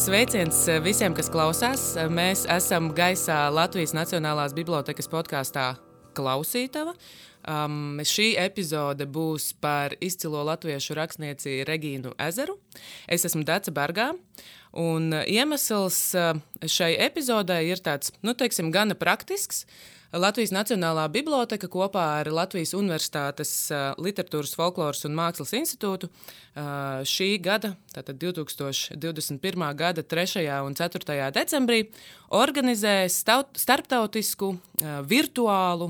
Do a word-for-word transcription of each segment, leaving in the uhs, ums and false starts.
Sveiciens visiem, kas klausās. Mēs esam gaisā Latvijas Nacionālās bibliotekas podkastā Klausītava. Um, šī epizode būs par izcilo latviešu rakstnieci Regīnu Ezeru. Es esmu Dace Bargā, un iemesls šai epizodē ir tāds, nu, teiksim, gana praktisks. Latvijas Nacionālā biblioteka kopā ar Latvijas Universitātes Literatūras, folkloras un mākslas institūtu šī gada, tātad divtūkstoš divdesmit pirmā gada trešajā un ceturtajā decembrī, organizē starptautisku virtuālu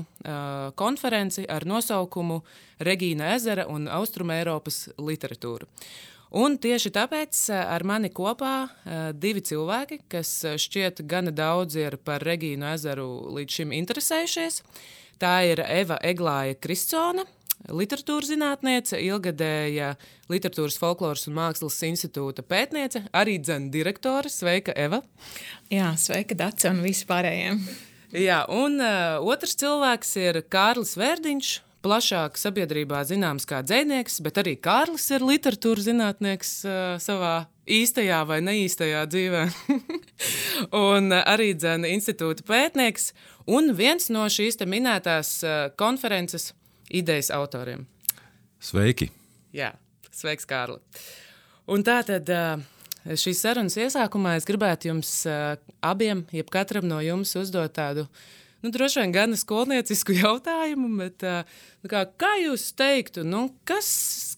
konferenci ar nosaukumu Regīna Ezera un Austrumeiropas literatūra. Un tieši tāpēc ar mani kopā divi cilvēki, kas šķiet gana daudz ir par Regīnu Ezeru līdz šim interesējušies. Tā ir Eva Eglāja Kristsone, literatūras zinātniece, ilgadēja Literatūras, folkloras un mākslas institūta pētniece, arī dzen direktore. Sveika, Eva! Jā, sveika, Dace un visi pārējiem. Jā, un uh, otrs cilvēks ir Kārlis Vērdiņš, plašāk sabiedrībā zināms kā dzejnieks, bet arī Kārlis ir literatūras zinātnieks uh, savā īstajā vai neīstajā dzīvē. un uh, arī dzen institūta pētnieks un viens no šīs te minētās uh, konferences idejas autoriem. Sveiki! Jā, sveiks, Kārli! Un tā tad uh, šīs sarunas iesākumā es gribētu jums uh, abiem, jeb katram no jums uzdot tādu Nu, droši vien gan skolniecisku jautājumu, bet nu, kā, kā jūs teiktu, nu, kas,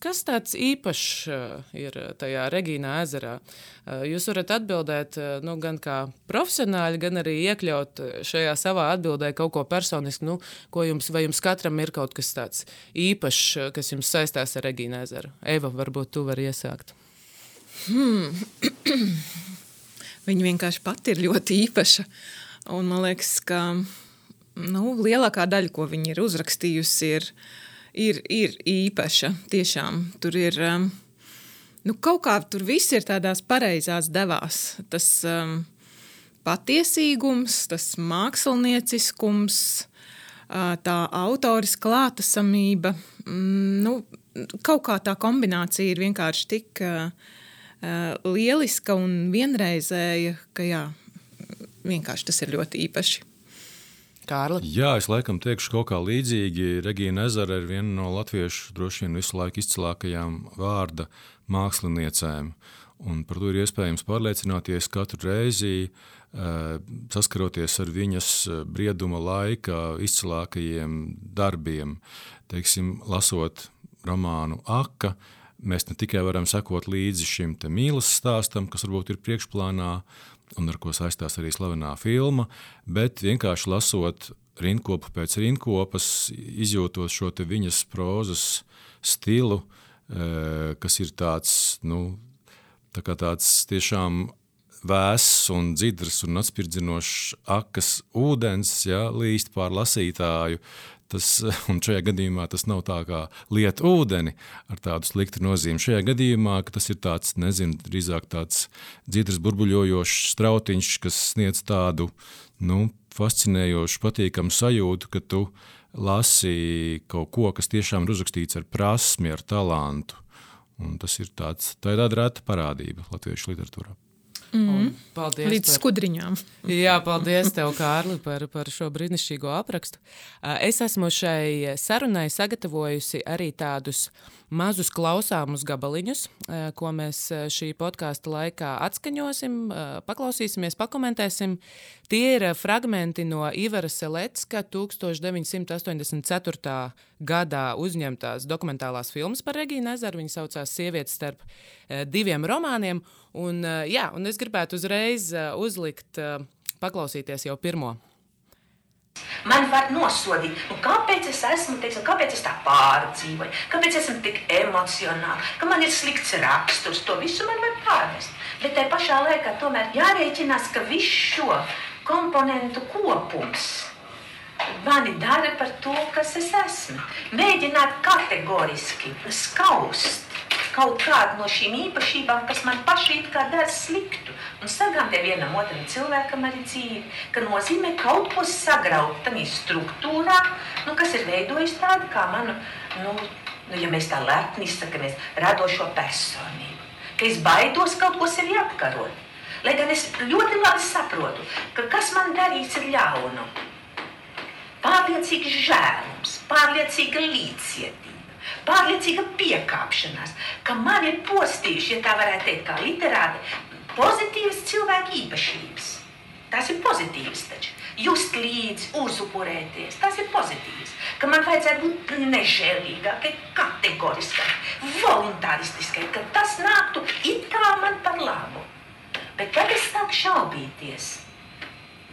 kas tāds īpašs ir tajā Regīnā Ezerā? Jūs varat atbildēt nu, gan kā profesionāļi, gan arī iekļaut šajā savā atbildē kaut ko personisku, nu, ko jums, vai jums katram ir kaut kas tāds īpašs, kas jums saistās ar Regīnu Ezeru? Eva, varbūt tu vari iesākt. Hmm. Viņa vienkārši pati ir ļoti īpaša, un man liekas, ka Nu, lielākā daļa, ko viņa ir uzrakstījusi, ir, ir, ir īpaša. Tiešām tur ir, nu, kaut kā tur viss ir tādās pareizās devās. Tas um, patiesīgums, tas mākslinieciskums, tā autoris klātesamība, nu, kaut kā tā kombinācija ir vienkārši tik uh, lieliska un vienreizēja, ka jā, vienkārši tas ir ļoti īpaši. Kārli? Jā, es laikam teikšu kaut kā līdzīgi. Regīna Ezera ir viena no latviešu droši vien visu laiku izcilākajām vārda māksliniecēm. Un par to ir iespējams pārliecināties katru reizi, saskaroties ar viņas brieduma laika izcilākajiem darbiem. Teiksim, lasot romānu Aka, mēs ne tikai varam sekot līdzi šim te mīlas stāstam, kas varbūt ir priekšplānā, un ar ko saistās arī slavenā filma, bet vienkārši lasot rindkopu pēc rindkopas, izjūtot šo te viņas prozas stilu, kas ir tāds, nu, tā kā tāds tiešām vēss un dzidrs un atspirdzinošs akas ūdens, ja, līst pār lasītāju. Tas, un šajā gadījumā tas nav tā kā liet ūdeni ar tādu sliktu nozīmi. Šajā gadījumā, ka tas ir tāds, nezinu, drīzāk tāds dzidrs burbuļojošs strautiņš, kas sniedz tādu, nu, fascinējošu, patīkamu sajūtu, ka tu lasi kaut ko, kas tiešām ir uzrakstīts ar prasmi, ar talantu. Un tas ir tāds, tā ir tāda reta parādība latviešu literatūrā. Mm. Līdz par... skudriņām. Jā, paldies tev, Kārli, par, par šo brīnišķīgo aprakstu. Es esmu šai sarunai sagatavojusi arī tādus mazus klausāmus gabaliņus, ko mēs šī podkāsta laikā atskaņosim, paklausīsimies, pakomentēsim. Tie ir fragmenti no Ivara Selecka tūkstoš deviņsimt astoņdesmit ceturtā gadā uzņemtās dokumentālās filmas par Regīnu Ezeru. Viņa saucās Sievietes starp diviem romāniem. Un, jā, un es gribētu uzreiz uzlikt, paklausīties jau pirmo. Man var nosodīt, nu kāpēc es esmu, teiksim, kāpēc es tā pārdzīvoju, kāpēc esmu tik emocionāli, ka man ir slikts raksturs, to visu man var pārvest. Bet tai pašā laikā tomēr jārēķinās, ka viss šo komponentu kopums mani dara par to, kas es esmu. Mēģināt kategoriski skaust kaut kādu no šīm īpašībām, kas man paši it kā dara sliktu, un sagādē vienam otram cilvēkam arī dzīvi, ka nozīmē kaut ko sagraut tamī struktūrā, nu, kas ir veidojis tādu kā manu, nu, nu, ja mēs tā lepni izsakamies, radošo personību. Ka es baidos kaut ko sevi apkarot. Lai gan es ļoti labi saprotu, ka kas man darīts ir ļaunu. Pārliecīgs žēlums, pārliecīga līdzcietība, pārliecīga piekāpšanās, ka man ir postījuši, ja tā varētu teikt, kā literāti, pozitīvas cilvēku īpašības. Tas ir pozitīvs taču. Just līdzi, uzupurēties, tas ir pozitīvs. Ka man vajadzētu būt nežēlīgākai, kategoriskai, voluntāristiskai, ka tas nāktu it kā man par labu. Bet kad es sāku šaubīties,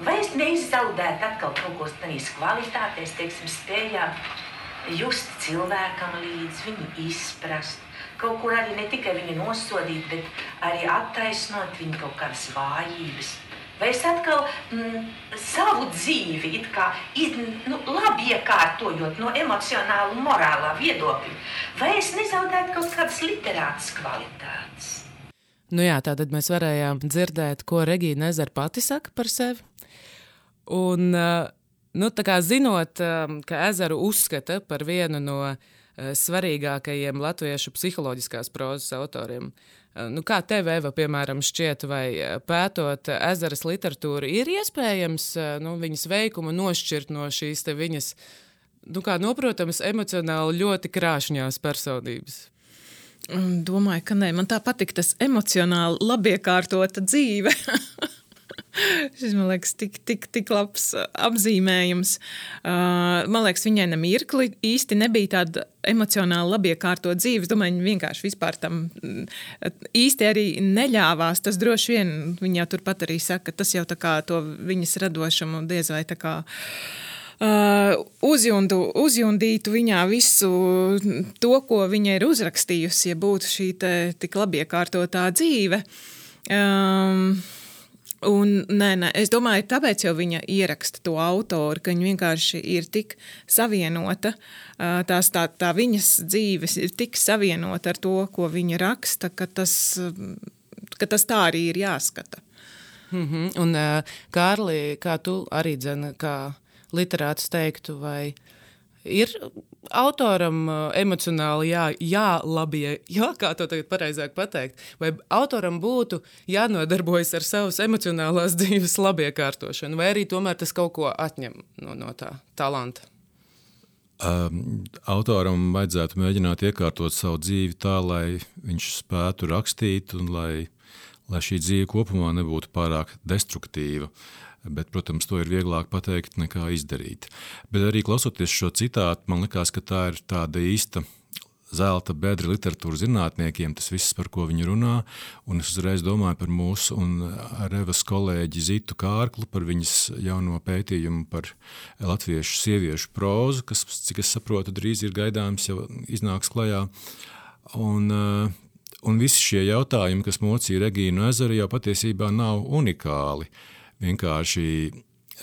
vai es neizzaudētu atkal kaut ko tādīs kvalitātēs, teiksim, spējām just cilvēkam līdz, viņu izprast, kaut kur arī ne tikai viņu nosodīt, bet arī attaisnot viņu kaut kādas vājības. Vai es atkal mm, savu dzīvi it kā nu, labi iekārtojot no emocionāla un morālā viedokļa, vai es nezaudētu kaut kādas literātas kvalitātes? Nu jā, tātad mēs varējām dzirdēt, ko Regīna Ezera pati saka par sevi. Un, nu, tā kā zinot, ka Ezeru uzskata par vienu no svarīgākajiem latviešu psiholoģiskās prozas autoriem, nu, kā tev, Eva, piemēram, šķiet, vai pētot Ezeras literatūru, ir iespējams nu, viņas veikumu nošķirt no šīs te viņas, nu, kā noprotams, emocionāli ļoti krāšņās personības? Domāju, ka nē. Man tā patīk tas emocionāli labiekārtota dzīve. Šis, man liekas, tik, tik, tik labs apzīmējums. Uh, man liekas, viņai nemirkli īsti nebija tāda emocionāli labiekārtot dzīve. Es domāju, viņa vienkārši vispār tam īsti arī neļāvās. Tas droši vien, viņa jau turpat arī saka, tas jau tā kā to viņas radošumu diez vai tā kā Uh, uzjundu, uzjundītu viņā visu to, ko viņa ir uzrakstījusi, ja būtu šī te, tik labiekārtotā dzīve. Um, un, nē, nē, es domāju, tāpēc jau viņa ieraksta to autoru, ka viņa vienkārši ir tik savienota, uh, tās, tā, tā viņas dzīves ir tik savienota ar to, ko viņa raksta, ka tas, ka tas tā arī ir jāskata. Mm-hmm. Un, uh, Kārli, kā tu arī dzene, kā literāts teiktu, vai ir autoram emocionāli jā, jālabie, jā, kā to tagad pareizāk pateikt, vai autoram būtu jānodarbojas ar savas emocionālās dzīves labiekārtošanu, vai arī tomēr tas kaut ko atņem no, no tā talanta? Um, autoram vajadzētu mēģināt iekārtot savu dzīvi tā, lai viņš spētu rakstīt un lai, lai šī dzīve kopumā nebūtu pārāk destruktīva. Bet, protams, to ir vieglāk pateikt nekā izdarīt. Bet arī klausoties šo citātu, man likās, ka tā ir tāda īsta zelta bedra literatūra zinātniekiem, tas viss, par ko viņi runā, un es uzreiz domāju par mūsu un Evas kolēģi Zitu Kārklu, par viņas jauno pētījumu par latviešu sieviešu prózu, kas, cik es saprotu, drīz ir gaidāms, jau iznāks klajā. Un, un visi šie jautājumi, kas mocīja Regīnu Ezeru, jau patiesībā nav unikāli. Vienkārši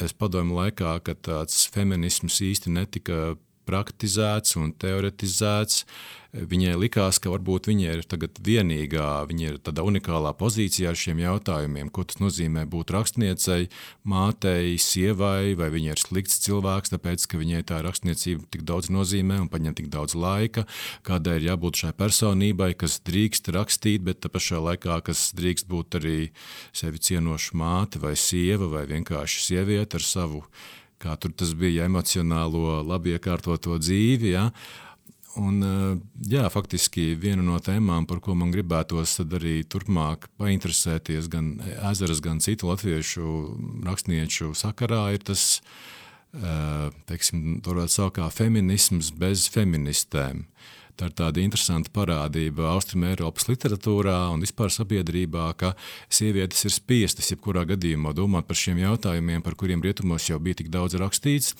es padomu laikā, kad tāds feminisms īsti netika praktizēts un teoretizēts, viņai likās, ka varbūt viņa ir tagad vienīgā, viņa ir tādā unikālā pozīcijā ar šiem jautājumiem, ko tas nozīmē būt rakstniecei, mātei, sievai, vai viņa ir slikts cilvēks, tāpēc, ka viņai tā rakstniecība tik daudz nozīmē un paņem tik daudz laika, kādai ir jābūt šai personībai, kas drīkst rakstīt, bet tā pašā laikā, kas drīkst būt arī sevi cienoša māte vai sieva vai vienkārši sieviete ar savu, kā tur tas bija, emocionālo labiekārtoto dzīvi, ja? Un, jā, faktiski viena no tēmām, par ko man gribētos tad arī turpmāk painteresēties gan Ezeras, gan citu latviešu rakstnieču sakarā, ir tas, teiksim, to varētu saukt kā feminisms bez feministēm. Tā ir tāda interesanta parādība Austrumēropas literatūrā un vispār sabiedrībā, ka sievietes ir spiestas jebkurā gadījumā domāt par šiem jautājumiem, par kuriem rietumos jau bija tik daudz rakstīts,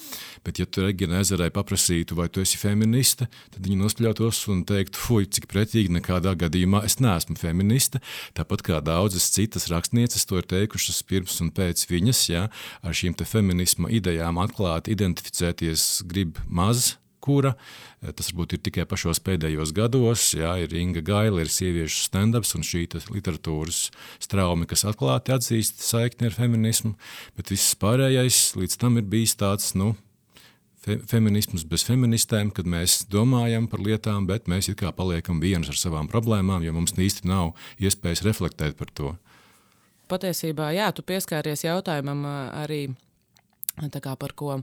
bet ja tu Regīnai Ezerai paprasītu, vai tu esi feministe, tad viņa nospļautos un teiktu, fuj, cik pretīgi, nekādā gadījumā es neesmu feministe, tāpat kā daudzas citas rakstnieces to ir teikušas pirms un pēc viņas, ja, ar šīm te feminisma idejām atklāti identificēties grib maz, kura, tas varbūt ir tikai pašos pēdējos gados, jā, ir Inga Gaila, ir sieviešu stand-ups un šī literatūras straumi, kas atklāti atzīst saikni ar feminismu, bet viss pārējais līdz tam ir bijis tāds, nu, fe, feminisms bez feministēm, kad mēs domājam par lietām, bet mēs it kā paliekam vienas ar savām problēmām, jo mums īsti nav iespējas reflektēt par to. patiesībā, jā, tu pieskāries jautājumam arī tā kā par ko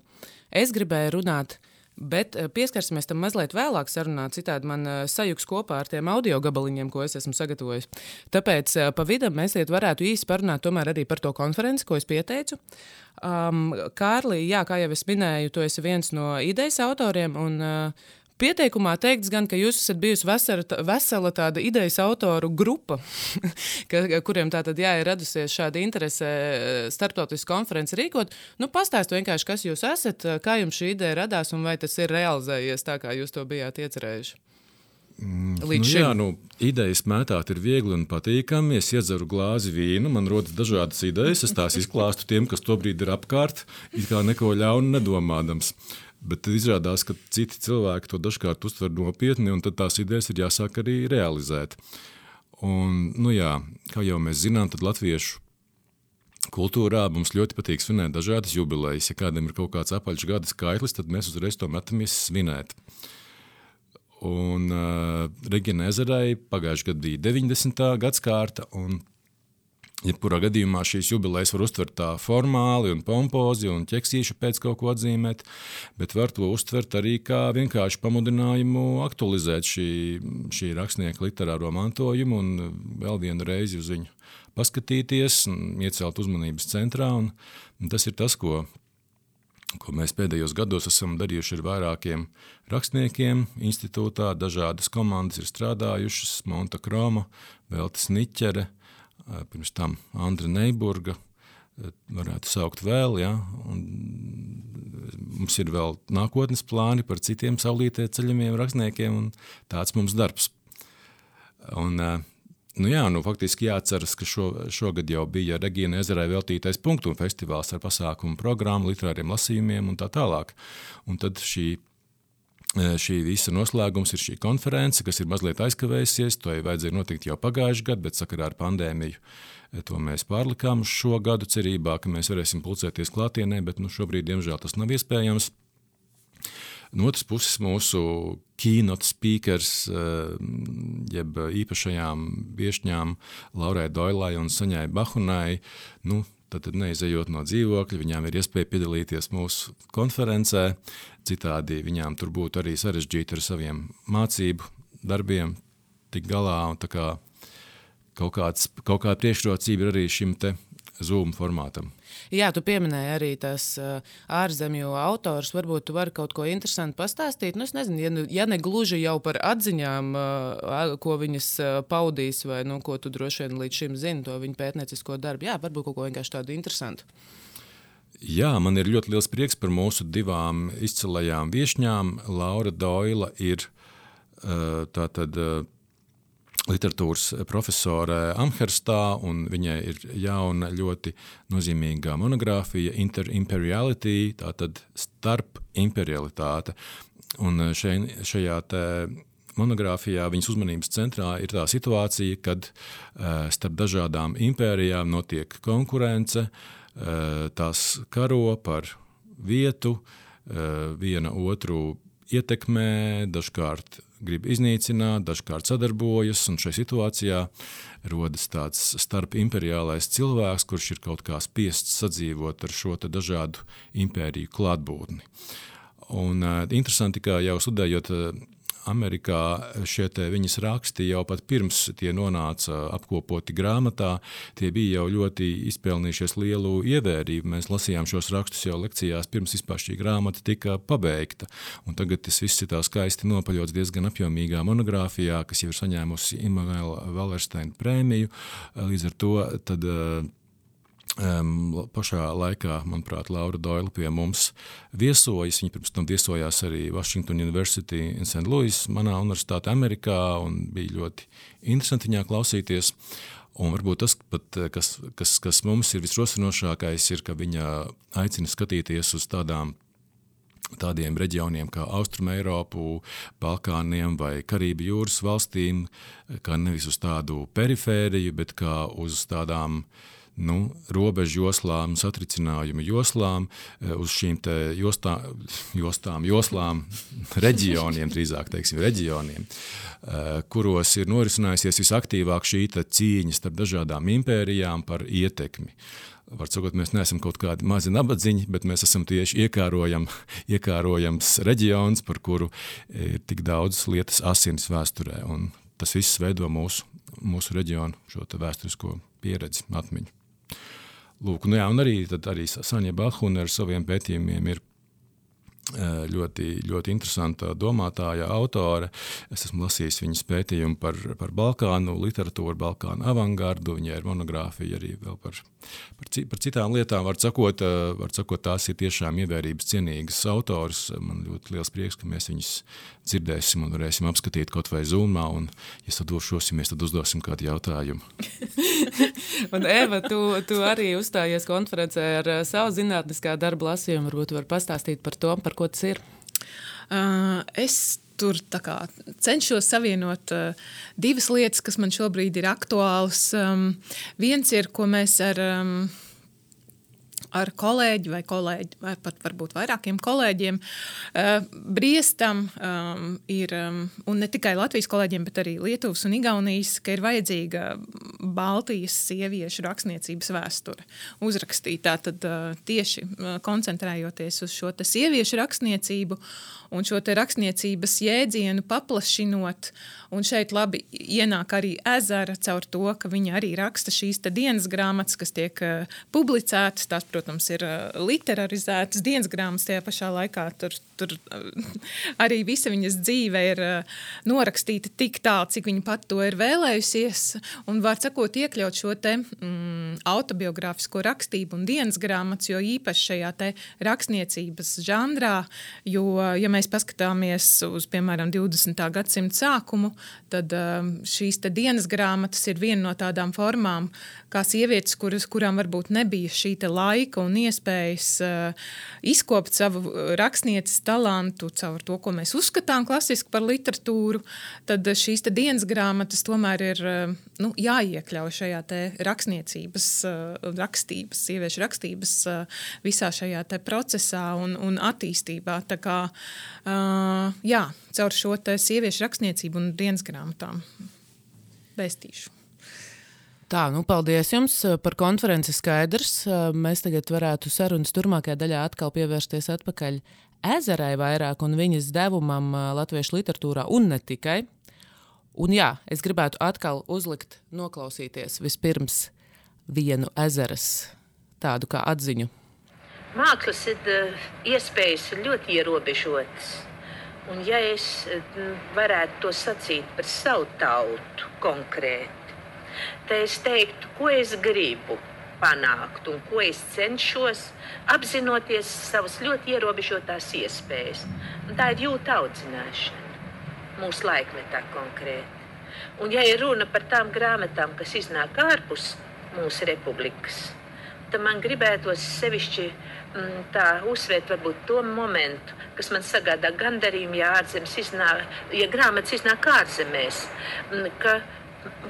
es gribēju runāt, bet pieskarsimies tam mazliet vēlāk sarunā, citādi man sajuks kopā ar tiem audio gabaliņiem, ko es esmu sagatavojis. Tāpēc pa vidam mēs iet varētu īsi parunāt tomēr arī par to konferenci, ko es pieteicu. Um, Kārli, jā, kā jau es minēju, tu esi viens no idejas autoriem, un uh, pieteikumā teikts gan, ka jūs esat bijusi vesela, vesela tāda idejas autoru grupa, ka, kuriem tātad jā, ir radusies šāda interese starptautisku konferenci rīkot. Nu, pastāstu vienkārši, kas jūs esat, kā jums šī ideja radās un vai tas ir realizējies tā, kā jūs to bijāt iecerējuši? Līdz nu, šim. Jā, nu, idejas mētāt ir viegli un patīkami. Es iedzeru glāzi vīnu, man rodas dažādas idejas, es tās izklāstu tiem, kas tobrīd ir apkārt, it kā neko ļaunu nedomādams. Bet tad izrādās, ka citi cilvēki to dažkārt uztver nopietni, un tad tās idejas ir jāsāk arī realizēt. Un, nu jā, kā jau mēs zinām, tad latviešu kultūrā mums ļoti patīk svinēt dažādas jubilejas. Ja kādam ir kaut kāds apaļš gada skaitlis, tad mēs uzreiz to metamies svinēt. Un uh, Regīnai Ezerai pagājušajā gadā bija deviņdesmitā gadskārta, un jebkurā gadījumā šīs jubilejas var uztvert tā formāli un pompozi un ķeksīšu pēc kaut ko atzīmēt, bet var to uztvert arī kā vienkārši pamudinājumu aktualizēt šī, šī rakstnieka literāro mantojumu un vēl vienu reizi uz viņu paskatīties un iecelt uzmanības centrā. Un, un tas ir tas, ko, ko mēs pēdējos gados esam darījuši ar vairākiem rakstniekiem institūtā. Dažādas komandas ir strādājušas, Monta Kroma, Velta Sniķere, pirms tam Andra Neiburga, varētu saukt vēl, ja, un mums ir vēl nākotnes plāni par citiem saulītē ceļamiem rakstniekiem, un tāds mums darbs. Un, nu jā, nu faktiski jāceras, ka šo, šogad jau bija Regīnai Ezerai veltītais punktu un festivāls ar pasākumu programmu, literāriem lasījumiem un tā tālāk. Un tad šī Šī visa noslēgums ir šī konference, kas ir mazliet aizkavējusies, to jau vajadzēja notikt jau pagājuši gadu, bet sakarā ar pandēmiju to mēs pārlikām uz šo gadu cerībā, ka mēs varēsim pulcēties klātienē, bet nu, šobrīd, diemžēl, tas nav iespējams. No otras puses mūsu keynote speakers, jeb īpašajām viešņām Laurai Doilai un Saņai Bahunai, nu, tad neizejot no dzīvokļa, viņām ir iespēja piedalīties mūsu konferencē, citādi viņām tur būtu arī sarežģīti ar saviem mācību darbiem tik galā, un tā kā kaut, kāds, kaut kāda priekšrocība ir arī šim te Zoom formātam. Jā, tu pieminēji arī tās ārzemju autors, varbūt tu vari kaut ko interesanti pastāstīt. Nu, es nezinu, ja, ja ne gluži jau par atziņām, ko viņas paudīs, vai nu, ko tu droši vien līdz šim zini, to viņu pētniecisko darbu. Jā, varbūt kaut ko vienkārši tādu interesantu. Jā, man ir ļoti liels prieks par mūsu divām izcilajām viešņām. Laura Doila ir tātad literatūras profesore Amherstā, un viņai ir jauna ļoti nozīmīgā monogrāfija Inter-imperiality, tātad starp imperialitāte. Un šeit, šajā te monogrāfijā viņas uzmanības centrā ir tā situācija, kad starp dažādām impērijām notiek konkurence, tās karo par vietu, viena otru ietekmē, dažkārt grib iznīcināt, dažkārt sadarbojas, un šajā situācijā rodas tāds starpimperiālais cilvēks, kurš ir kaut kā spiests sadzīvot ar šo te dažādu impēriju klātbūtni. Un uh, interesanti, ka jau studējot uh, Amerikā šie te viņas raksti jau pat pirms tie nonāca apkopoti grāmatā, tie bija jau ļoti izpelnījušies lielu ievērību. Mēs lasījām šos rakstus jau lekcijās pirms vispār šī grāmata tika pabeigta. Un tagad tas viss ir tā skaisti nopaļots diezgan apjomīgā monogrāfijā, kas jau ir saņēmusi Immanuela Wallersteina prēmiju. Līdz ar to tad Um, pašā laikā, manuprāt, Laura Doila pie mums viesojas. Viņa pirms tam viesojās arī Washington University in Saint Louis, manā universitātē Amerikā, un bija ļoti interesanti viņā klausīties. Un varbūt tas, pat, kas, kas, kas mums ir visrosinošākais, ir, ka viņa aicina skatīties uz tādām tādiem reģioniem kā Austrumeiropu, Balkāniem vai Karību jūras valstīm, kā nevis uz tādu perifēriju, bet kā uz tādām nu, robežu joslām, satricinājumu joslām, uz šīm te jostā, jostām, joslām, reģioniem, drīzāk teiksim, reģioniem, kuros ir norisinājusies visaktīvāk šī cīņa starp dažādām impērijām par ietekmi. Var sakot, mēs neesam kaut kādi mazi nabadziņi, bet mēs esam tieši iekārojam, iekārojams reģions, par kuru ir tik daudz lietas asinis vēsturē. Un tas viss veido mūsu, mūsu reģionu šo vēsturisko pieredzi, atmiņu. Lūk, nu jā, un arī, tad arī Saņa Bahuna ar saviem pētījumiem ir ļoti, ļoti interesanta domātāja, autore. Es esmu lasījis viņas pētījumu par, par Balkānu literatūru, Balkānu avangardu, viņai ir monogrāfija arī vēl par, par, par citām lietām. Var sakot, var sakot, tās ir tiešām ievērības cienīgas autors. Man ļoti liels prieks, ka mēs viņus dzirdēsim un varēsim apskatīt kaut vai Zoomā, un, ja sadošosimies, tad uzdosim kādu jautājumu. Un Eva, tu, tu arī uzstājies konferencē ar savu zinātniskā darba lasījumu. Varbūt tu vari pastāstīt par to, par ko tas ir? Uh, es tur tā kā cenšos savienot uh, divas lietas, kas man šobrīd ir aktuālas. Um, viens ir, ko mēs ar... Um, ar kolēģi vai kolēģi, vai pat varbūt vairākiem kolēģiem uh, briestam um, ir, um, un ne tikai Latvijas kolēģiem, bet arī Lietuvas un Igaunijas, ka ir vajadzīga Baltijas sieviešu rakstniecības vēsture uzrakstīt. Tātad uh, tieši uh, koncentrējoties uz šo te sieviešu rakstniecību un šo te rakstniecības jēdzienu paplašinot, un šeit labi ienāk arī Ezera caur to, ka viņa arī raksta šīs te dienas grāmatas, kas tiek uh, publicētas, tās, protams, ir uh, literarizētas dienas grāmatas, tajā pašā laikā tur, tur uh, arī visa viņas dzīve ir uh, norakstīta tik tālu, cik viņa pat to ir vēlējusies, un var sakot iekļaut šo te mm, autobiogrāfisko rakstību un dienas grāmatas, jo īpaši šajā te rakstniecības žanrā, jo, ja mēs paskatāmies uz, piemēram, divdesmitā gadsimta sākumu, tad um, šīs te dienas grāmatas ir viena no tādām formām, kā sievietes, kuras, kurām varbūt nebija šī te laika un iespējas uh, izkopt savu rakstnieces talantu caur to, ko mēs uzskatām klasiski par literatūru, tad šīs te dienas grāmatas tomēr ir uh, nu, jāiekļauj šajā te rakstniecības, uh, rakstības, sieviešu rakstības uh, visā šajā te procesā un, un attīstībā. Tā kā Uh, jā, caur šo te sieviešu rakstniecību un dienas grāmatām vēstīšu. Tā, nu paldies jums par konferenci skaidrs. Mēs tagad varētu sarunas turmākajā daļā atkal pievērsties atpakaļ Ezerai vairāk un viņas devumam latviešu literatūrā un ne tikai. Un jā, es gribētu atkal uzlikt, noklausīties vispirms vienu Ezeras tādu kā atziņu. Mākslas iespējas ir ļoti ierobežotas. Un ja es varētu to sacīt par savu tautu konkrēti, tad es teiktu, ko es gribu panākt un ko es cenšos, apzinoties savas ļoti ierobežotās iespējas. Un tā ir jūta audzināšana mūsu laikmetā konkrēti. Un ja ir runa par tām grāmatām, kas iznāk ārpus mūsu republikas, tad man gribētos sevišķi m, tā uzsvērt varbūt to momentu, kas man sagādā gandarījumu, ja ārzemes iznāk, ja grāmatas iznāk ārzemēs, m, ka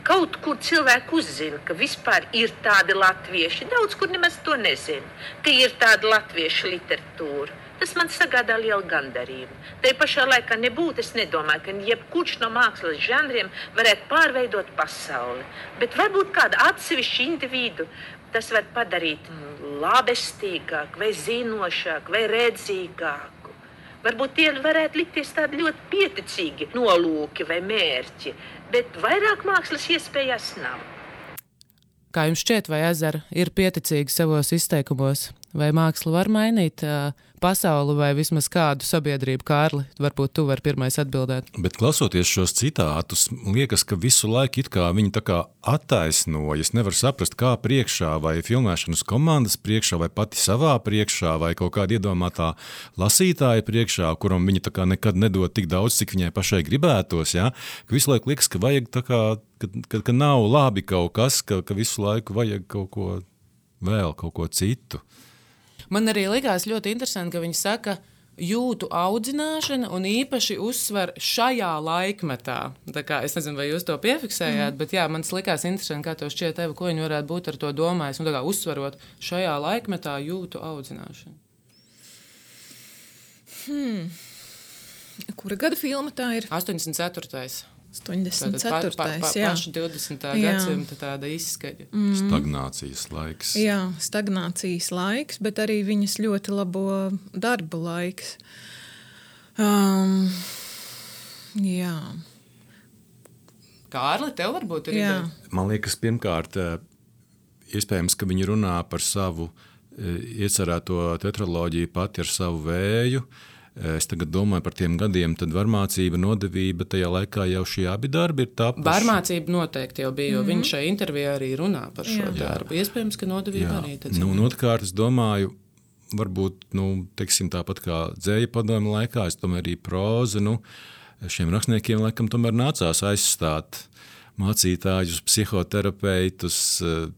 kaut kur cilvēku uzzina, ka vispār ir tādi latvieši, daudz kur nemaz to nezina, ka ir tāda latviešu literatūra. Tas man sagādā lielu gandarījumu. Tai pašā laikā nebūtu, es nedomāju, ka jebkurš no mākslas žanriem varētu pārveidot pasauli. Bet varbūt kādu atsevišķu individu tas var padarīt labestīgāk, vai zinošāk, vai redzīgāku. Varbūt tie varētu likties tādi ļoti pieticīgi nolūki vai mērķi, bet vairāk mākslas iespējas nav. Kā jums šķiet, vai Ezera ir pieticīga savos izteikumos? Vai māksla var mainīt uh, pasauli vai vismaz kādu sabiedrību? Kārli, varbūt tu vari pirmais atbildēt. Bet klausoties šos citātus, liekas, ka visu laiku it kā viņi tā kā attaisnojas. Nevar saprast, kā priekšā, vai filmēšanas komandas priekšā, vai pati savā priekšā, vai kaut kāda iedomātā lasītāja priekšā, kuram viņi tā kā nekad nedod tik daudz, cik viņai pašai gribētos. Ja? Ka visu laiku liekas, ka vajag tā kā, ka, ka, ka nav labi kaut kas, ka, ka visu laiku vajag kaut ko vēl, kaut ko citu. Man arī likās ļoti interesanti, ka viņi saka, jūtu audzināšana un īpaši uzsver šajā laikmetā. Tā kā, es nezinu, vai jūs to piefiksējāt, mm. bet jā, man likās interesanti, kā to šķiet, Eva, ko viņi varētu būt ar to domājis. Un tā kā uzsverot šajā laikmetā jūtu audzināšanu. Hmm. Kura gada filma tā ir? astoņdesmit ceturtais astoņdesmit ceturtais Pa, pa, pa, jā. paša divdesmitā Jā. gadsimta tāda izskaņa. Mm. Stagnācijas laiks. Jā, stagnācijas laiks, bet arī viņas ļoti labo darba laiks. Um, jā. Kārli, tev varbūt ir Jā. ideja? Man liekas, pirmkārt, iespējams, ka viņi runā par savu iecerēto tetraloģiju pati ar savu vēju. Es tagad domāju par tiem gadiem, tad varmācība, nodevība, tajā laikā jau šie abi darbi ir tapuši. Varmācība noteikti jau bija, jo mm-hmm. viņš šai intervijā arī runā par šo Jā. darbu. Iespējams, ka nodevība Jā. arī. Tad Nu, un otrkārt, es domāju, varbūt, nu, teiksim, tāpat kā dzēja padomju laikā, es domāju arī proza, nu, šiem rakstniekiem laikam tomēr nācās aizstāt mācītājus, psihoterapeitus,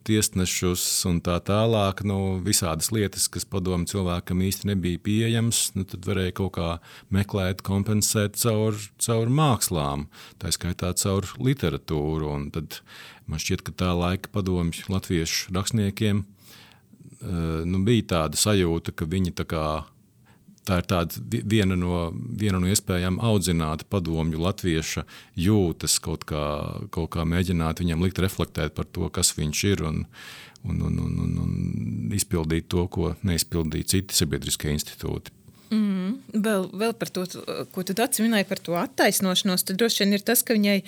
tiesnešus un tā tālāk, nu, visādas lietas, kas padomu cilvēkam īsti nebija pieejams, nu, tad varēja kaut kā meklēt, kompensēt caur, caur mākslām, tā skaitā caur literatūru, un tad man šķiet, ka tā laika padomju latviešu rakstniekiem nu, bija tāda sajūta, ka viņi tā kā tā ir tāda viena no, viena no iespējām audzināt padomju latvieša jūtas, kaut kā, kaut kā mēģināt viņam likt reflektēt par to, kas viņš ir un, un, un, un, un, un izpildīt to, ko neizpildīja citi sabiedriskie institūti. Mm, vēl, vēl par to, ko tu Daci minēji par to attaisnošanos, tad droši vien ir tas, ka viņai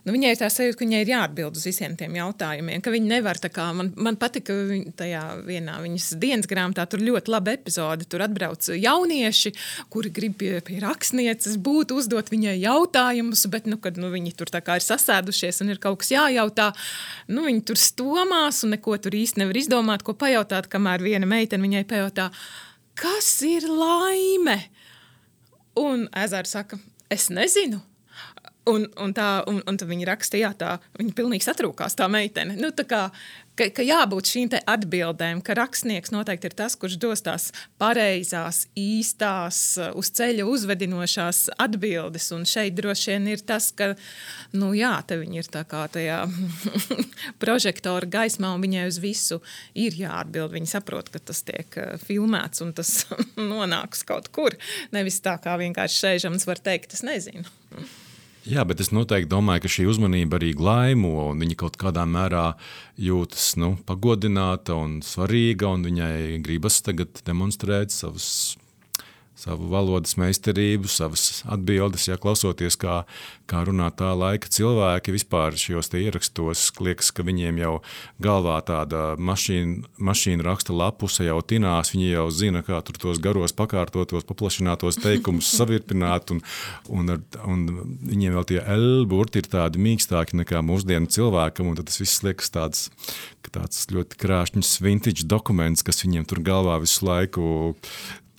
Nu, viņai ir tā sajūta, ka viņai ir jāatbild uz visiem tiem jautājumiem, ka viņi nevar tā kā, man, man patika tajā vienā viņas dienas grāmatā, tur ļoti laba epizode, tur atbrauc jaunieši, kuri grib pie, pie rakstnieces būt, uzdot viņai jautājumus, bet, nu, kad nu, viņi tur tā kā ir sasēdušies un ir kaut kas jājautā, nu, viņi tur stomās un neko tur īsti nevar izdomāt, ko pajautāt, kamēr viena meitene viņai pajautā, kas ir laime? Un Ezera saka, es nezinu. Un, un, tā, un, un tad viņa raksta, jā, tā, viņa pilnīgi satrūkās, tā meitene. Nu, tā kā, ka, ka jābūt šīm te atbildēm, ka rakstnieks noteikti ir tas, kurš dos tās pareizās, īstās, uz ceļa uzvedinošās atbildes. Un šeit droši vien ir tas, ka, nu jā, te viņa ir tā kā tajā prožektora gaismā un viņai uz visu ir jāatbild. Viņa saprot, ka tas tiek filmēts un tas nonāks kaut kur. Nevis tā kā vienkārši šeižams var teikt, es nezinu. Jā, bet es noteikti domāju, ka šī uzmanība arī glaimo, un viņa kaut kādā mērā jūtas nu, pagodināta un svarīga, un viņai gribas tagad demonstrēt savus, savu valodas meistarību, savas atbildes, ja klausoties, kā, kā runā tā laika cilvēki vispār šajos te ierakstos, liekas, ka viņiem jau galvā tāda mašīna, mašīna raksta lapuse jau tinās, viņi jau zina, kā tur tos garos pakārtotos, paplašinātos teikumus savirpināt, un, un, ar, un viņiem vēl tie L burti ir tādi mīkstāki nekā mūsdienu cilvēkam, un tad tas viss liekas tāds, tāds ļoti krāšņs vintage dokuments, kas viņiem tur galvā visu laiku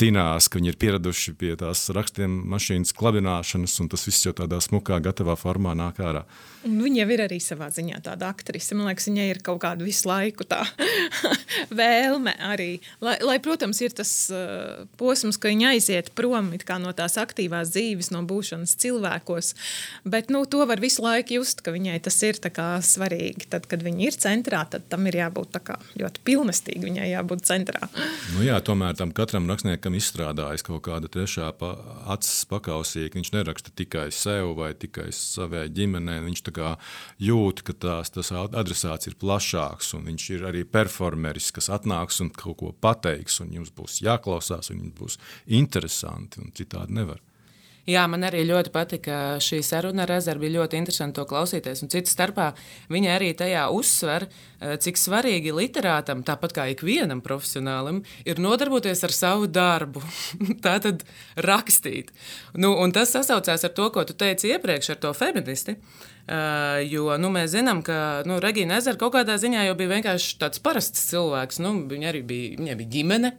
tinās, ka viņi ir pieraduši pie tās rakstiem mašīnas klabināšanas, un tas viss jau tādā smukā, gatavā formā nāk ārā. Un viņa jau ir arī savā ziņā tāda aktrise. Man liekas, viņai ir kaut kāda visu laiku tā vēlme arī. Lai, lai, protams, ir tas uh, posms, ka viņa aiziet prom it kā no tās aktīvās dzīves, no būšanas cilvēkos, bet nu, to var visu laiku just, ka viņai tas ir tā kā svarīgi. Tad, kad viņa ir centrā, tad tam ir jābūt tā kā ļoti pilnestīgi, viņai jābūt centrā. Nu jā, tomēr tam katram rakstniekam izstrādājas kaut kāda trešā pa, acis pakausī, ka viņš neraksta tikai sev vai tikai savai ģimenei, viņš tā kā jūt, ka tās, tas adresāts ir plašāks, un viņš ir arī performeris, kas atnāks un kaut ko pateiks, un jums būs jāklausās, un jums būs interesanti, un citādi nevar. Jā, man arī ļoti patika šī saruna ar Ezeru, bija ļoti interesanti to klausīties, un citu starpā viņa arī tajā uzsver, cik svarīgi literātam, tāpat kā ikvienam profesionālim, ir nodarboties ar savu darbu, tātad rakstīt. Nu, un tas sasaucās ar to, ko tu teici iepriekš ar to feministi, Uh, jo nu, mēs zinām, ka nu, Regīna Ezera kaut kādā ziņā jau bija vienkārši tāds parasts cilvēks. Nu, viņa arī bija, viņai bija ģimene,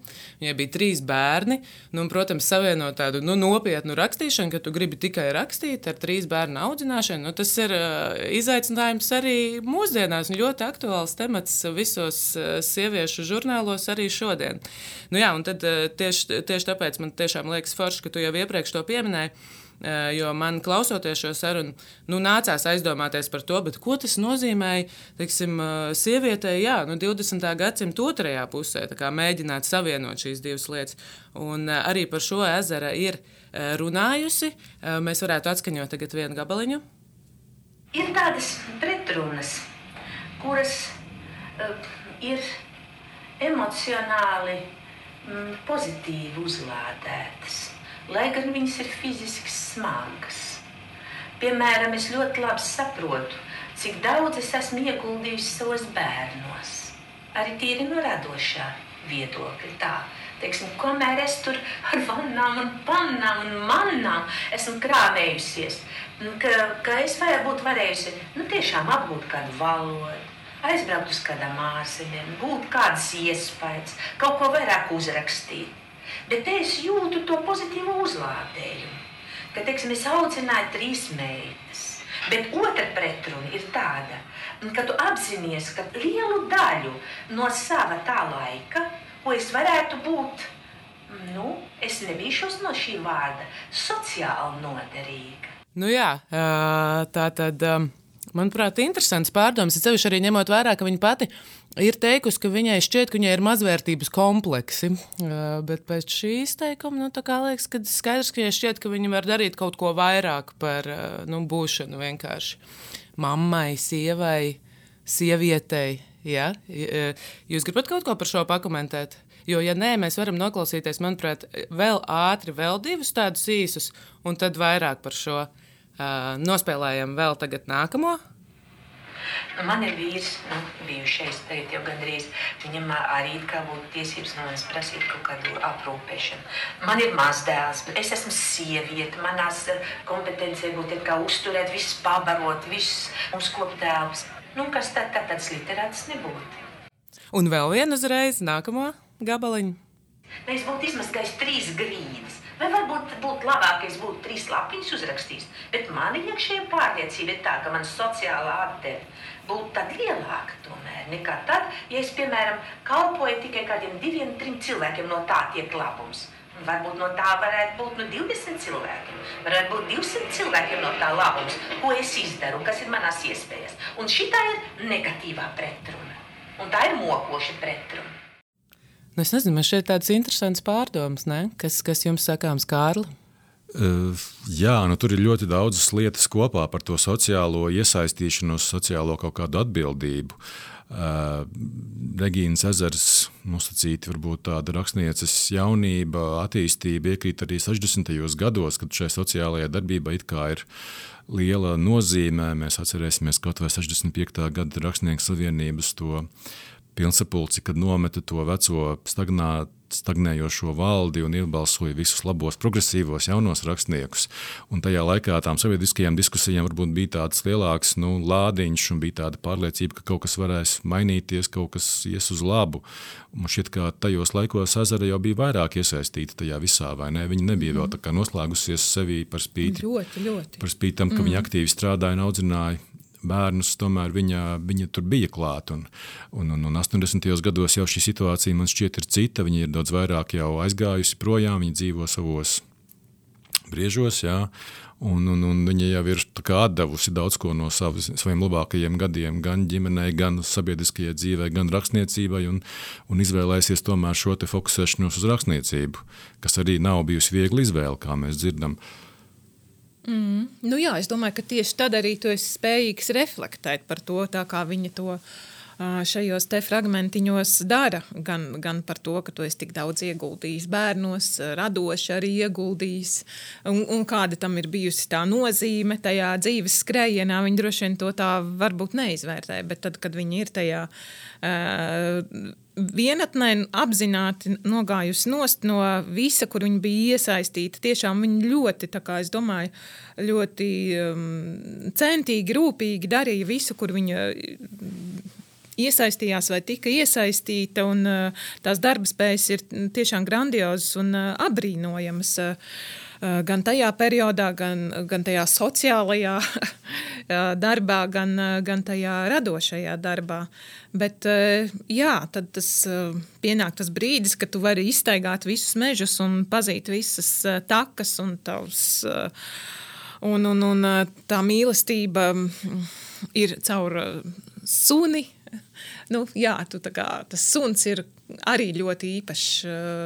viņai bija trīs bērni, nu, un, protams, savienot tādu nu, nopietnu rakstīšanu rakstīšana, ka tu gribi tikai rakstīt ar trīs bērnu audzināšanu. Nu, tas ir uh, izaicinājums arī mūsdienās un ļoti aktuāls temats visos uh, sieviešu žurnālos arī šodien. Nu, jā, un tad uh, tieši, tieši tāpēc man tiešām liekas forši, ka tu jau iepriekš to pieminēji. Jo man klausoties šo sarunu, nu, nācās aizdomāties par to, bet ko tas nozīmēja, teiksim, sievietei, jā, nu, divdesmitā gadsimta otrajā pusē, tā kā mēģināt savienot šīs divas lietas. Un arī par šo Ezera ir runājusi. Mēs varētu atskaņot tagad vienu gabaliņu. Ir tādas pretrunas, kuras uh, ir emocionāli mm, pozitīvi uzlādētas. Lai gan viņas ir fiziski smagas. Piemēram, es ļoti labi saprotu, cik daudz es esmu ieguldījusi savos bērnos. Arī tīri no radošā viedokļa tā. Teiksim, kamēr es tur ar vannām un pannām un mannām esmu krāmējusies, ka, ka es vajag būt varējusi, nu tiešām apgūt kādu valodu, aizbraukt uz kādām ārzemēm, būt kādas iespējas, kaut ko vairāk uzrakstīt. Bet te es jūtu to pozitīvu uzlādējumu, ka, teiksim, es audzināju trīs meitas. Bet otra pretruna ir tāda, ka tu apzinies, ka lielu daļu no sava tā laika, ko es varētu būt, nu, es nebīšos no šī vārda, sociāli noderīga. Nu jā, tā tad, manuprāt, interesants pārdoms. Es cevišķi arī ņemot vērā, ka viņa pati ir teikusi, ka viņai šķiet, ka viņai ir mazvērtības kompleksi, bet pēc šīs teikuma, nu, tā kā liekas, ka skaidrs, ka viņai šķiet, ka viņa var darīt kaut ko vairāk par, nu, būšanu vienkārši mammai, sievai, sievietei, ja? Jūs gribat kaut ko par šo pakomentēt? Jo, ja nē, mēs varam noklausīties, manuprāt, vēl ātri, vēl divus tādus īsus, un tad vairāk par šo uh, nospēlējam vēl tagad nākamo. Man ir vīrs, nu, bijušais tagad jau gandrīz, viņam arī kā būtu tiesības no manis prasīt kaut kādu aprūpēšanu. Man ir mazdēls, es esmu sieviete, manās kompetencija būtu kā uzturēt, viss pabarot, viss mums koptēvs. Nu, kas tad, tad tāds literāts nebūtu. Un vēl vienu uzreiz, nākamo gabaliņu. Es būtu izmazgājis trīs grīdas. Vai varbūt būtu labāk, ja es būtu trīs lapiņas uzrakstījis, bet mani iekšējā pārliecība ir tā, ka man sociālā apdeve būtu tad lielāka tomēr nekā tad, ja es, piemēram, kalpoju tikai kādiem diviem, trim cilvēkiem no tā tiek labums. Un varbūt no tā varētu būt nu divdesmit cilvēkiem, varētu būt divsimt cilvēkiem no tā labums, ko es izdaru, kas ir manās iespējas. Un šitā ir negatīvā pretruna, un tā ir mokoša pretruna. Nu, es nezinu, man šeit tāds interesants pārdoms, ne? Kas, kas jums sakāms, Kārli? Uh, jā, nu tur ir ļoti daudzas lietas kopā par to sociālo iesaistīšanos, sociālo kaut kādu atbildību. Uh, Regīnas Ezeras nosacīti varbūt tāda rakstnieces jaunība, attīstība iekrīt arī sešdesmitajos gados, kad šai sociālajai darbībai it kā ir liela nozīmē. Mēs atcerēsimies kaut vai sešdesmit piektā gada Rakstnieku savienības to pilnsapulci, kad nometa to veco stagnā, stagnējošo valdi un iebalsoja visus labos, progresīvos, jaunos rakstniekus. Un tajā laikā tām sabiedriskajām diskusijām varbūt bija tāds lielāks nu, lādiņš un bija tāda pārliecība, ka kaut kas varēs mainīties, kaut kas ies uz labu. Un šķiet, ka tajos laikos Ezera jau bija vairāk iesaistīta tajā visā, vai ne? Viņa nebija mm. vēl tā kā noslēgusies sevī par spīti. Ļoti, ļoti. Par spīti tam, ka mm. viņa aktīvi strādāja un audzināja bērnus, tomēr viņa, viņa tur bija klāt. Un, un, un, un astoņdesmitajos gados jau šī situācija man šķiet ir cita. Viņa ir daudz vairāk jau aizgājusi projām, viņa dzīvo savos briežos, jā. Un, un, un viņa jau ir tā kā atdevusi daudz ko no savas, saviem labākajiem gadiem, gan ģimenei, gan sabiedriskajai dzīvei, gan rakstniecībai, un, un izvēlēsies tomēr šo te fokusēšanos uz rakstniecību, kas arī nav bijusi viegli izvēle, kā mēs dzirdam. Mm. Nu jā, es domāju, ka tieši tad arī tu esi spējīgs reflektēt par to, tā kā viņa to šajos te fragmentiņos dara, gan, gan par to, ka tu esi tik daudz ieguldījis bērnos, radoši arī ieguldījis, un, un kāda tam ir bijusi tā nozīme tajā dzīves skrējienā, viņi droši vien to tā varbūt neizvērtē, bet tad, kad viņi ir tajā uh, vienatnē apzināti nogājusi nost no visa, kur viņa bija iesaistīta, tiešām viņa ļoti, tā kā es domāju, ļoti um, centīgi, rūpīgi darīja visu, kur viņa iesaistījās vai tika iesaistīta, un uh, tās darba spējas ir tiešām grandiozas un uh, abrīnojamas. Uh, gan tajā periodā, gan, gan tajā sociālajā darbā, gan, gan tajā radošajā darbā. Bet, jā, tad tas pienāk tas brīdis, kad tu vari izstaigāt visus mežus un pazīt visas takas un tavs, un, un, un tā mīlestība ir caur suni. Nu, jā, tu tā kā, tas suns ir arī ļoti īpašs.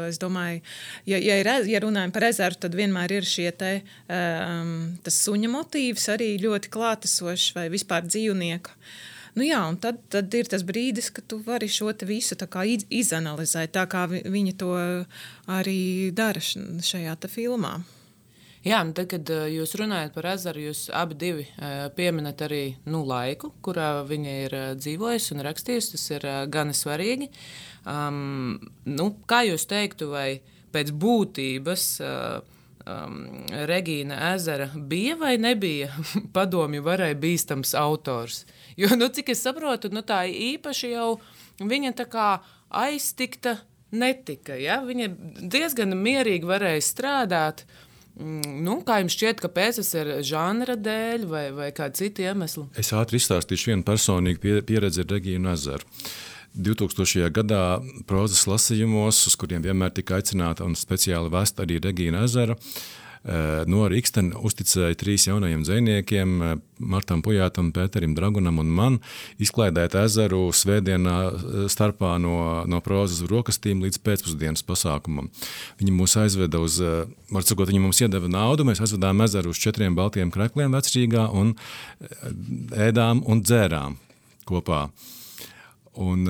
Es domāju, ja, ja, ir, ja runājam par ezeru, tad vienmēr ir šie te, um, tas suņa motīvs arī ļoti klātesošs vai vispār dzīvnieka. Nu jā, un tad, tad ir tas brīdis, ka tu vari šo te visu tā kā izanalizēt, tā kā viņi to arī dara šajā te filmā. Jā, un tad, kad jūs runājat par ezeru, jūs abi divi pieminat arī nu, laiku, kurā viņa ir dzīvojusi un rakstījusi. Tas ir gana svarīgi. Um, nu, kā jūs teiktu, vai pēc būtības uh, um, Regīna Ezera bija vai nebija padomju varai bīstams autors? Jo, nu, cik es saprotu, nu, tā īpaši jau viņa tā kā aiztikta netika. Ja? Viņa diezgan mierīgi varēja strādāt. Nu, kā jums šķiet, kāpēc tas ir žanra dēļ vai, vai kāda cita iemesla? Es ātri izstāstīšu vienu personīgu pieredzi ar Regīnu Ezeru. divtūkstošajā gadā prozas lasījumos, uz kuriem vienmēr tika aicināta un speciāli vest arī Regīna Ezera, no Rikstena uzticēja trīs jaunajiem dzejniekiem, Martam Pujātam, Pēterim Dragunam un man, izklaidēt ezeru svētdienā starpā no, no prozas rokastīm līdz pēcpusdienas pasākumam. Viņi mūs aizveda uz, var sakot, viņi mums iedeva naudu, mēs aizvedām ezeru uz četriem baltiem krekliem Vecrīgā un ēdām un dzērām kopā. Un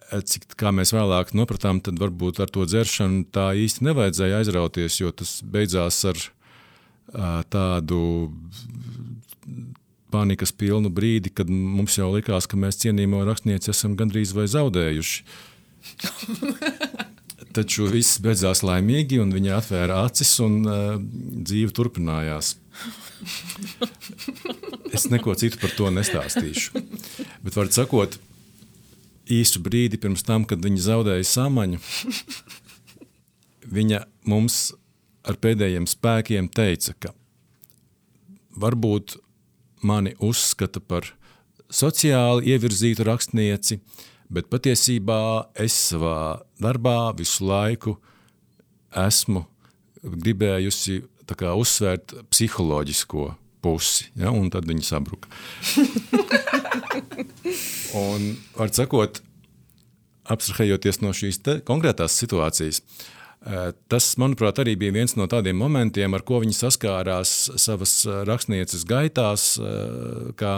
cik, kā mēs vēlāk nopratām, tad varbūt ar to dzeršanu tā īsti nevajadzēja aizrauties, jo tas beidzās ar uh, tādu panikas pilnu brīdi, kad mums jau likās, ka mēs cienījamo rakstnieci esam gandrīz vai zaudējuši. Taču viss beidzās laimīgi, un viņa atvēra acis, un uh, dzīve turpinājās. Es neko citu par to nestāstīšu. Bet var sakot, īsu brīdi pirms tam, kad viņa zaudēja samaņu, viņa mums ar pēdējiem spēkiem teica, ka varbūt mani uzskata par sociāli ievirzītu rakstnieci, bet patiesībā es savā darbā visu laiku esmu gribējusi tā kā uzsvērt psiholoģisko pusi, ja, un tad viņa sabruka. Un, var sakot, abstrahējoties no šīs te konkrētās situācijas, tas, manuprāt, arī bija viens no tādiem momentiem, ar ko viņi saskārās savas rakstnieces gaitās, kā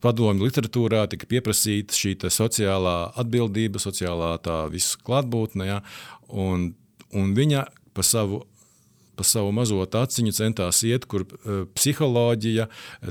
padomju literatūrā tika pieprasīta šī sociālā atbildība, sociālā tā visu klātbūtne, ja, un, un viņa pa savu pa savu mazo taciņu centās iet, kur uh, psiholoģija,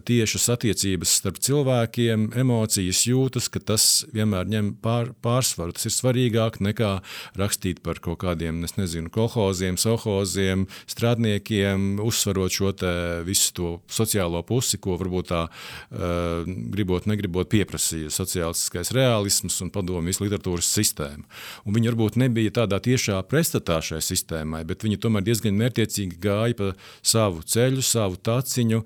tiešas attiecības starp cilvēkiem, emocijas jūtas, ka tas vienmēr ņem pār, pārsvaru. Tas ir svarīgāk nekā rakstīt par kaut kādiem, es nezinu, kolhoziem, sohoziem, strādniekiem, uzsvarot šo te visu to sociālo pusi, ko varbūt tā uh, gribot, negribot pieprasīja sociālistiskais realisms un padomjas literatūras sistēma. Un viņi varbūt nebija tādā tiešā pretstatā šai sistēmai, bet viņi tomēr diezgan mērķiecīgi gāja pa savu ceļu, savu taciņu,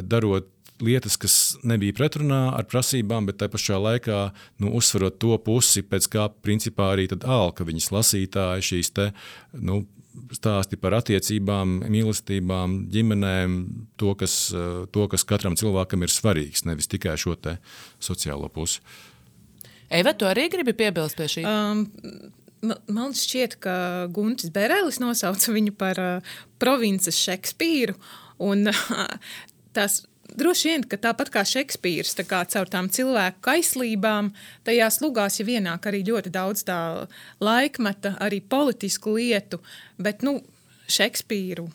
darot lietas, kas nebija pretrunā ar prasībām, bet tai pašā laikā nu, uzsverot to pusi, pēc kā principā arī tad alka viņas lasītāji šīs te nu, stāsti par attiecībām, mīlestībām, ģimenēm, to kas, to, kas katram cilvēkam ir svarīgs, nevis tikai šo te sociālo pusi. Eva, tu arī gribi piebilst pie šī? Um, Man šķiet, ka Guntis Berelis nosauca viņu par uh, provinces Šekspīru, un uh, tās droši vien, ka tāpat kā Šekspīrs, tā kā caur tām cilvēku kaislībām, tajās lugās jau ienāk arī ļoti daudz tā laikmeta, arī politisku lietu, bet, nu, Šekspīru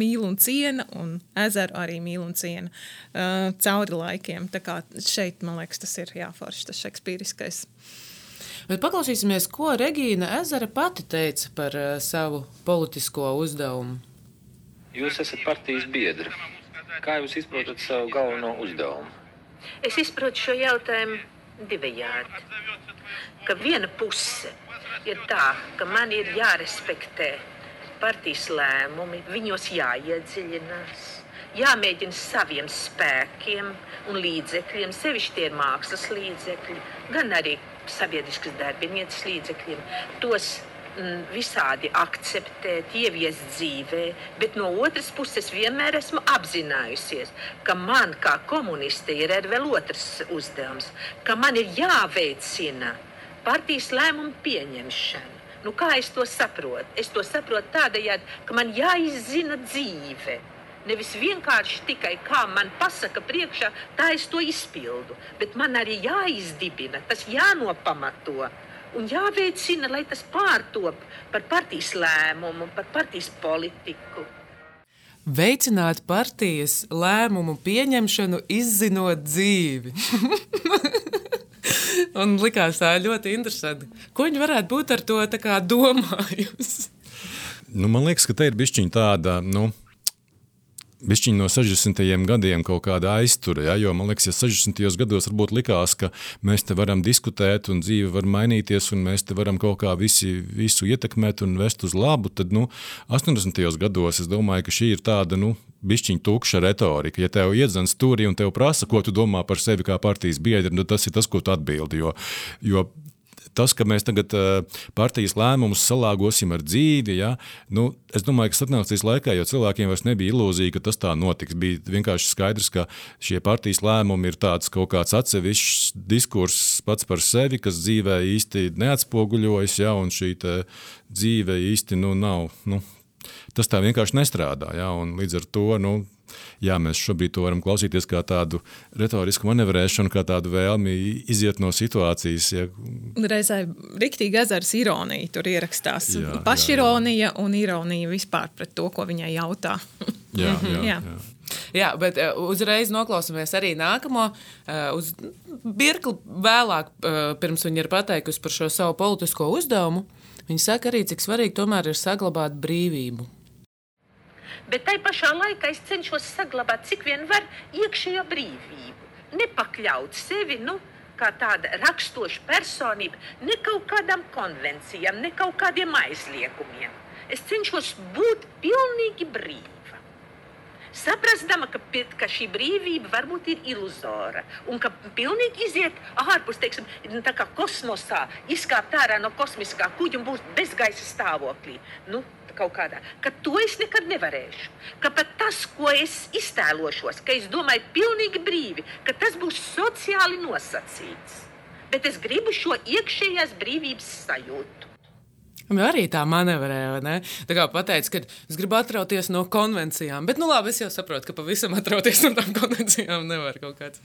mīl un ciena, un Ezeru arī mīl un ciena uh, cauri laikiem. Tā kā šeit, man liekas, tas ir jāforši, tas šekspīriskais. Bet paklausīsimies, ko Regīna Ezera pati teica par uh, savu politisko uzdevumu. Jūs esat partijas biedri. Kā jūs izprotat savu galveno uzdevumu? Es izprotu šo jautājumu divējādi. Ka viena puse ir tā, ka man ir jārespektē partijas lēmumi, viņos jāiedziļinās, jāmēģina saviem spēkiem un līdzekļiem, sevišķi tie ir mākslas līdzekļi, gan arī sabiedriskas darbinieces līdzekļiem, tos mm, visādi akceptēt, ieviest dzīvē, bet no otras puses vienmēr esmu apzinājusies, ka man kā komuniste ir arī vēl otrs uzdevums, ka man ir jāveicina partijas lēmumu pieņemšana. Nu, kā es to saprotu? Es to saprotu tādējādi, ka man jāizzina dzīve. Nevis vienkārši tikai kā man pasaka priekšā, tā es to izpildu. Bet man arī jāizdibina, tas jānopamato un jāveicina, lai tas pārtop par partijas lēmumu, par partijas politiku. Veicināt partijas lēmumu pieņemšanu, izzinot dzīvi. Un likās tā ļoti interesanti. Ko viņi varētu būt ar to tā kā domājusi? Nu, man liekas, ka te ir bišķiņ tāda, nu, bišķiņ no sešdesmitajiem gadiem kaut kāda aiztura, ja? Jo man liekas, ja sešdesmitajos gados varbūt likās, ka mēs te varam diskutēt un dzīve var mainīties un mēs te varam kaut kā visi, visu ietekmēt un vest uz labu, tad, nu, astoņdesmitajos gados es domāju, ka šī ir tāda, nu, bišķiņ tukša retorika. Ja tev iedzen stūrī un tev prasa, ko tu domā par sevi kā partijas biedri, nu, tas ir tas, ko tu atbildi, jo, jo tas, ka mēs tagad partijas lēmumus salāgosim ar dzīvi, ja, nu, es domāju, ka satnācijas laikā, jo cilvēkiem vairs nebija ilūzija, ka tas tā notiks. Bija vienkārši skaidrs, ka šie partijas lēmumi ir tāds kaut kāds atsevišķs diskurss pats par sevi, kas dzīvē īsti neatspoguļojas, ja, un šī dzīve īsti nu, nav. Nu, tas tā vienkārši nestrādā, ja, un līdz ar to, nu, jā, mēs šobrīd to varam klausīties kā tādu retorisku manevrēšanu, kā tādu vēlmi iziet no situācijas. Ja. Reizē riktīgi ezers ironija tur ierakstās. Jā, pašironija jā, jā. Un ironija vispār pret to, ko viņai jautā. Jā, jā, jā. jā. Jā, bet uh, uzreiz noklausāmies arī nākamo. Uh, uz birkli vēlāk, uh, pirms viņa ir pateikusi par šo savu politisko uzdevumu, viņa saka arī, cik svarīgi tomēr ir saglabāt brīvību. Bet tai pašā laikā es cenšos saglabāt, cik vien var, iekšējo brīvību. Nepakļaut sevi, nu, kā tāda rakstoša personība, ne kaut kādām konvencijām, ne kaut kādiem aizliegumiem. Es cenšos būt pilnīgi brīva. Saprastama, ka, ka šī brīvība varbūt ir iluzora un ka pilnīgi iziet ārpus, teiksim, tā kā kosmosā, izkāpt ārā no kosmiskā kuģa un būs bezgaisa stāvoklī. Nu, kaut kādā, ka to es nekad nevarēšu. Ka pat tas, ko es iztēlošos, ka es domāju pilnīgi brīvi, ka tas būs sociāli nosacīts. Bet es gribu šo iekšējās brīvības sajūtu. Arī tā manevrēja, ne? Tā kā pateica, ka es gribu atrauties no konvencijām, bet, nu labi, es jau saprotu, ka pavisam atrauties no tām konvencijām nevar kaut kāds.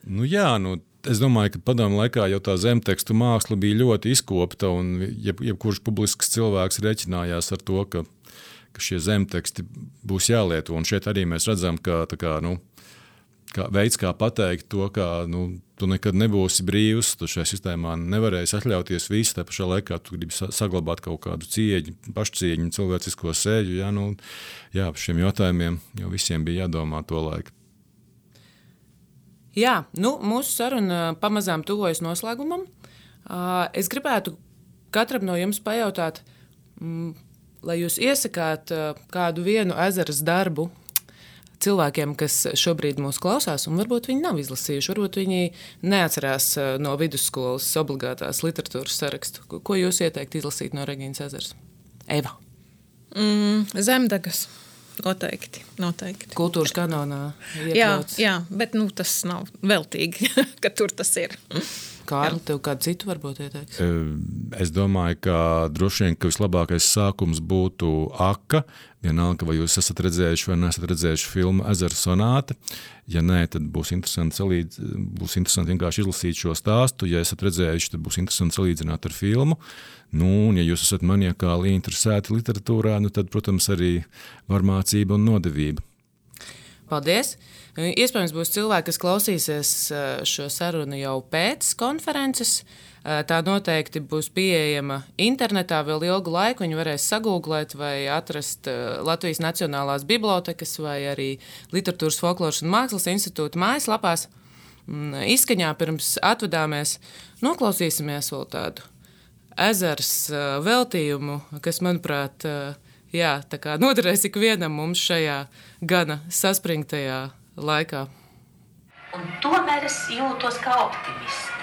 Nu jā, nu, es domāju, ka padomu laikā jau tā zemtekstu māksla bija ļoti izkopta un jeb, jebkurš publisks cilvēks reķinājās ar to, ka, ka šie zemteksti būs jālieto. Un šeit arī mēs redzam, ka tā kā, nu, kā veids, kā pateikt to, ka nu, tu nekad nebūsi brīvs, tu šajā sistēmā nevarēsi atļauties visu, tā pašā laikā tu gribi saglabāt kaut kādu cieņu, pašcieņu, cilvēcisko sēļu. Jā, nu, jā, par šiem jautājumiem jau visiem bija jādomā to laiku. Jā, nu, mūsu saruna pamazām tuvojas noslēgumam. Es gribētu katram no jums pajautāt, lai jūs iesakāt kādu vienu ezeras darbu cilvēkiem, kas šobrīd mūs klausās, un varbūt viņi nav izlasījuši, varbūt viņi neatcerās no vidusskolas obligātās literatūras sarakstu. Ko jūs ieteikt izlasīt no Regīnas Ezeras? Eva. Mm, Zemdegas. Noteikti, noteikti. Kultūras kanonā iekļauts. Jā, jā, bet nu, tas nav veltīgi, ka tur tas ir. Kārli, tev kādu citu varbūt ieteiks? Es domāju, ka droši vien, ka vislabākais sākums būtu Aka. Vienalga, vai jūs esat redzējuši vai neesat redzējuši filmu Ezera sonāte. Ja nē, tad būs interesanti, salīdz, būs interesanti vienkārši izlasīt šo stāstu. Ja esat redzējuši, tad būs interesanti salīdzināt ar filmu. Nu, un ja jūs esat maniakāli interesēti literatūrā, nu tad, protams, arī varmācība un nodevība. Paldies! Iespējams, būs cilvēki, kas klausīsies šo sarunu jau pēc konferences. Tā noteikti būs pieejama internetā vēl ilgu laiku. Viņi varēs sagūglēt vai atrast Latvijas Nacionālās bibliotekas vai arī Literatūras, folkloras un mākslas institūta mājaslapās. Izskaņā pirms atvadāmies noklausīsimies vēl tādu Ezers veltījumu, kas, manuprāt, jā, tā kā noderēs ikvienam mums šajā gana saspringtajā laikā. Un tomēr es jūtos kā optimiste.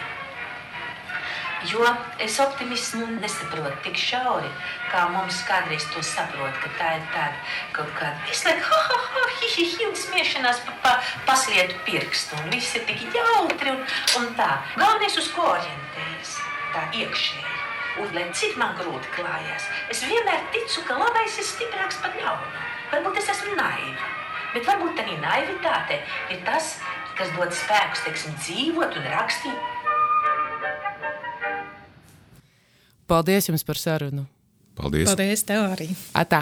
Jo es optimismu nesaprotu tik šauri, kā mums kādreiz to saprot, ka tā ir tāda kaut kāda visu laiku ha, ha, ha, hi, hi, hi, un smiešanās pa, pa, paslietu pirkstu, un viss ir tik jautri un, un tā. Galvenais uz ko orientējas, tā iekšēji, un lai cik man grūti klājās, es vienmēr ticu, ka labais ir stiprāks par ļaunu. Varbūt es esmu naiva, bet varbūt arī naivitāte ir tas, kas dod spēkus, teiksim, dzīvot un rakstīt. Paldies jums par sarunu. Paldies! Paldies tev arī! Atā!